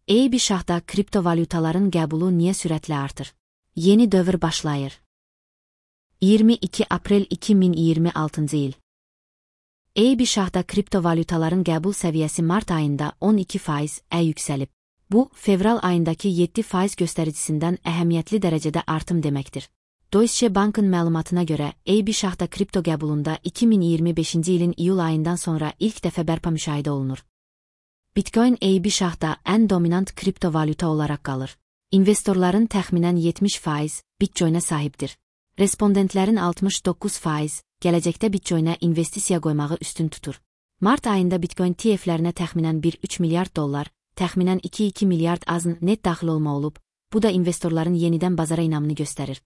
AB şahda kriptovalyutaların qəbulu niyə sürətlə artır? Yeni dövr başlayır. 22 aprel 2026 il. AB şahda kriptovalyutaların qəbul səviyyəsi mart ayında 12% yüksəlib. Bu, fevral ayındakı 7% göstəricisindən əhəmiyyətli dərəcədə artım deməkdir. Deutsche Bank'ın məlumatına görə, AB şahda kripto qəbulunda 2025-ci ilin iyul ayından sonra ilk dəfə bərpa müşahidə olunur. Bitcoin AB şahda ən dominant kriptovalyuta olaraq qalır. İnvestorların təxminən 70% Bitcoin'ə sahibdir. Respondentlərin 69% gələcəkdə Bitcoin'ə investisiya qoymağı üstün tutur. Mart ayında Bitcoin ETF-lərinə təxminən 1,3 milyard dollar, təxminən 2,2 milyard azın net daxil olma olub, bu da investorların yenidən bazara inamını göstərir.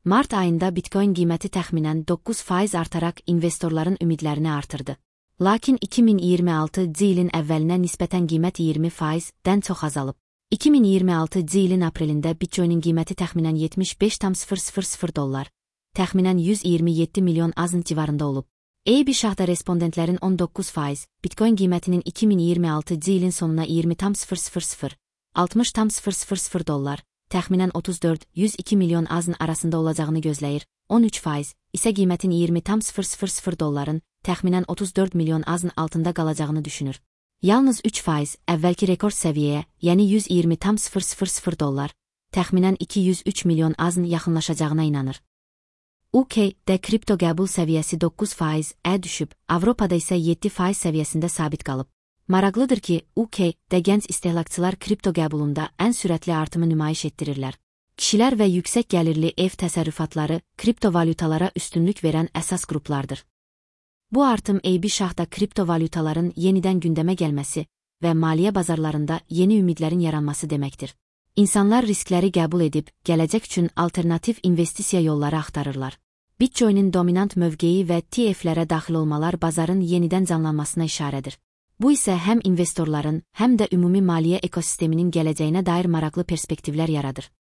Mart ayında Bitcoin qiyməti təxminən 9% artaraq investorların ümidlərini artırdı. Lakin 2026-cı ilin əvvəlinə nisbətən qiymət 20%-dən çox azalıb. 2026-cı ilin aprelində Bitcoin'in qiyməti təxminən 75,000 dollar, təxminən 127 milyon azın civarında olub. AB şahda respondentlərin 19%, Bitcoin qiymətinin 2026-cı ilin sonuna 20,000, 60,000 dollar, təxminən 34-102 milyon azın arasında olacağını gözləyir, 13% isə qiymətin 20,000 dolların, təxminən 34 milyon azın altında qalacağını düşünür. Yalnız 3% əvvəlki rekord səviyyəyə, yəni 120,000 dollar, təxminən 203 milyon azın yaxınlaşacağına inanır. UK-də kripto qəbul səviyyəsi 9% düşüb, Avropada isə 7% səviyyəsində sabit qalıb. Maraqlıdır ki, UK-də gənc istehlakçılar kripto qəbulunda ən sürətli artımı nümayiş etdirirlər. Kişilər və yüksək gəlirli ev təsərrüfatları kriptovalyutalara üstünlük verən əsas qruplardır. Bu artım AB şahda kriptovalyutaların yenidən gündəmə gəlməsi və maliyyə bazarlarında yeni ümidlərin yaranması deməkdir. İnsanlar riskləri qəbul edib, gələcək üçün alternativ investisiya yolları axtarırlar. Bitcoin'in dominant mövqeyi və ETF-lərə daxil olmalar bazarın yenidən canlanmasına işarədir. Bu isə həm investorların, həm də ümumi maliyyə ekosisteminin gələcəyinə dair maraqlı perspektivlər yaradır.